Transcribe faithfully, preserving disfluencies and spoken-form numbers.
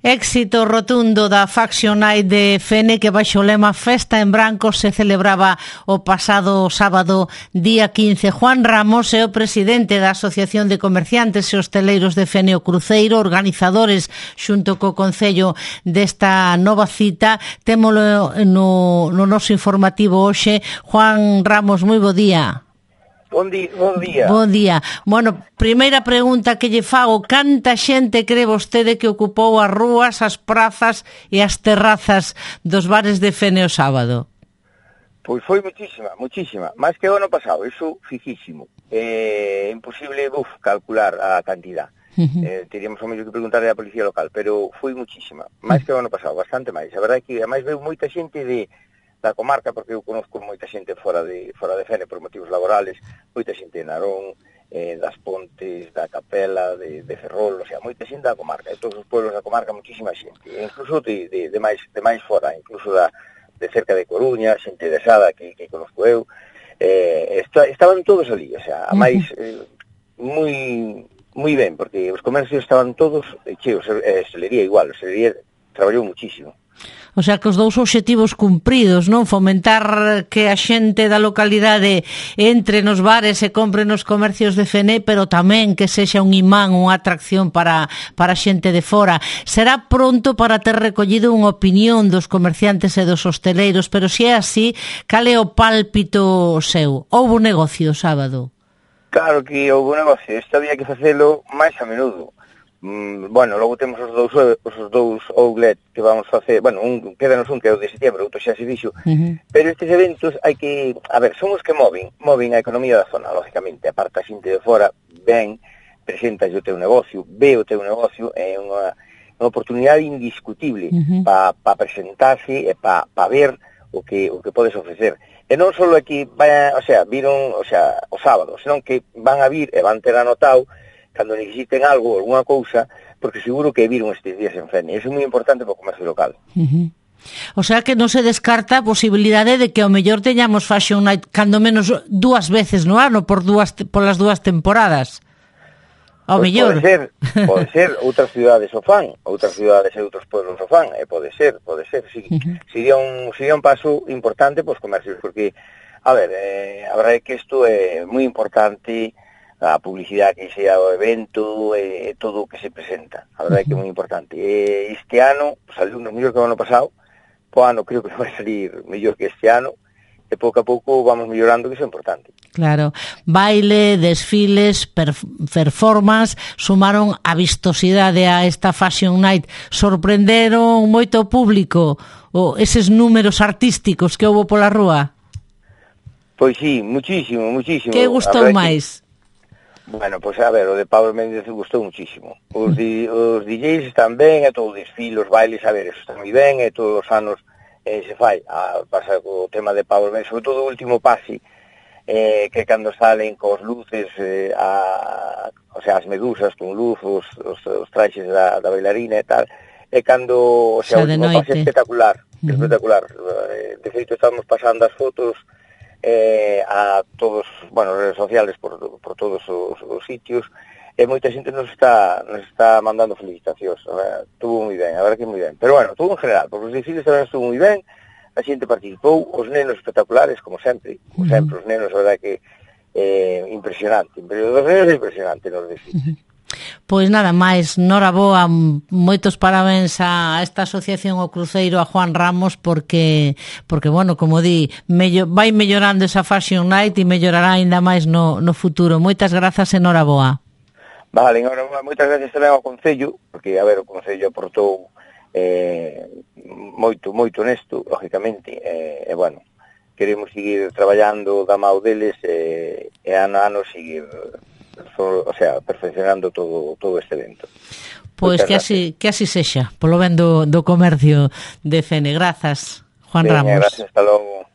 Éxito rotundo da Fashion Night de Fene, que baixo o lema Festa en Branco se celebraba o pasado sábado día quince. Juan Ramos é o presidente da Asociación de Comerciantes e Hosteleiros de Fene o Cruceiro, organizadores xunto co Concello desta nova cita. Témolo no, no noso informativo hoxe. Juan Ramos, moi bo día. Bon día, bon día. Bon día. Bueno, primeira pregunta que lle fago: canta xente cree vostede que ocupou as rúas, as prazas e as terrazas dos bares de Fene o sábado? Pois foi muchísima, muchísima. Máis que o ano pasado, iso fixísimo. É eh, imposible, uf, calcular a cantidad. Uh-huh. Eh, teríamos o medio que preguntarle á policía local, pero foi muchísima. Máis que o ano pasado, bastante máis. A verdade é que, ademais, veu moita xente de da comarca, porque eu conozco moita xente fora de fora de Fene por motivos laborales, moita xente de Narón, eh, das Pontes, da Capela, de, de Ferrol, o sea, moita xente da comarca, de todos os pueblos da comarca, muchísima xente, e incluso de, de, de, máis, de máis fora, incluso da, de cerca de Coruña, xente de Sada, que, que conozco eu, eh, está, estaban todos ali, o sea, a máis, eh, moi, moi ben, porque os comercios estaban todos cheos, eh, Hostelería igual, Hostelería traballou muchísimo. O sea, que os dous obxectivos cumpridos, non? Fomentar que a xente da localidade entre nos bares e compre nos comercios de Fene, pero tamén que sexa un imán, unha atracción para, para a xente de fora. Será pronto para ter recollido unha opinión dos comerciantes e dos hosteleiros, pero se é así, cal é o pálpito seu? Houbo negocio o sábado? Claro que houbo negocio, isto había que facelo máis a menudo. Mm, bueno, logo temos os dous os dous outlet que vamos facer, bueno, un quédanos un que é o de setembro, outro xa se dixo, uh-huh. Pero estes eventos hai que, a ver, son os que moven, moven a economía da zona, lógicamente, aparte a xente de fora ven, presentas o teu negocio, ve o teu negocio, é unha, unha oportunidade indiscutible uh-huh. para pa presentarse e para pa ver o que o que podes ofrecer. E non só aquí, vai, o sea, viron, o sea, o sábado, senón que van a vir e van ter anotado cando necesiten algo, alguna cousa, porque seguro que viron estes días en Fene. Eso é moi importante para o comercio local. Uh-huh. O sea que non se descarta a posibilidade de que ao mellor teñamos Fashion Night cando menos dúas veces no ano, por dúas polas dúas temporadas. Ao pues mellor. Pode ser, pode ser, outras cidades o fan, outras cidades e outros pueblos o fan, e pode ser, pode ser, sí. Uh-huh. Sería un, sería un paso importante para os comercios, porque, a ver, eh, a verdade é que isto é moi importante, a publicidade que sea o evento e eh, todo o que se presenta. A verdade é que é moi importante. E este ano, pues, saliu mellor que o ano pasado, po ano creo que vai salir mellor que este ano, e pouco a pouco vamos mellorando, que iso é importante. Claro, baile, desfiles, performance, sumaron a vistosidade a esta Fashion Night. Sorprenderon moito o público, o eses números artísticos que houbo pola rúa? Pois sí, muchísimo, muchísimo. Que gustou máis? Bueno, pois pues, a ver, o de Pablo Méndez gustou muchísimo. Os, di, os D Js están ben, e todo o desfile, os bailes, a ver, eso está moi ben, e todos os anos eh, se fai. A, pasa co tema de Pablo Méndez, sobre todo o último pase, eh, que cando salen cos luces, eh, a, o sea, as medusas con luz, os, os, os traxes da, da bailarina e tal, e cando, o sea, o último pase espectacular, uh-huh. espectacular. De feito, estamos pasando as fotos Eh, a todos, bueno, redes sociales por, por todos os, os sitios, e moita xente nos está nos está mandando felicitacións. Estuvo moi ben, a verdade que moi ben. Pero bueno, todo en general, porque os desfiles tamén estuvo moi ben, a xente participou, os nenos espectaculares, como sempre, como sempre, os nenos, a verdade que eh, impresionante, pero os nenos é impresionante nos desfiles. Pois nada máis, noraboa, moitos parabéns a esta asociación o Cruceiro, a Juan Ramos, porque, porque bueno, como di, mello, vai mellorando esa Fashion Night e mellorará ainda máis no, no futuro. Moitas grazas e noraboa. Vale, noraboa, moitas gracias tamén ao Concello, porque, a ver, o Concello aportou eh, moito, moito nesto, lógicamente, e, eh, bueno, queremos seguir traballando da mão deles e, e ano a ano seguir... o sea, perfeccionando todo todo este evento. Pois pues que así que así sexa, polo ben do, do comercio de Fene. Grazas, Juan Venga, Ramos. Gracias, hasta logo.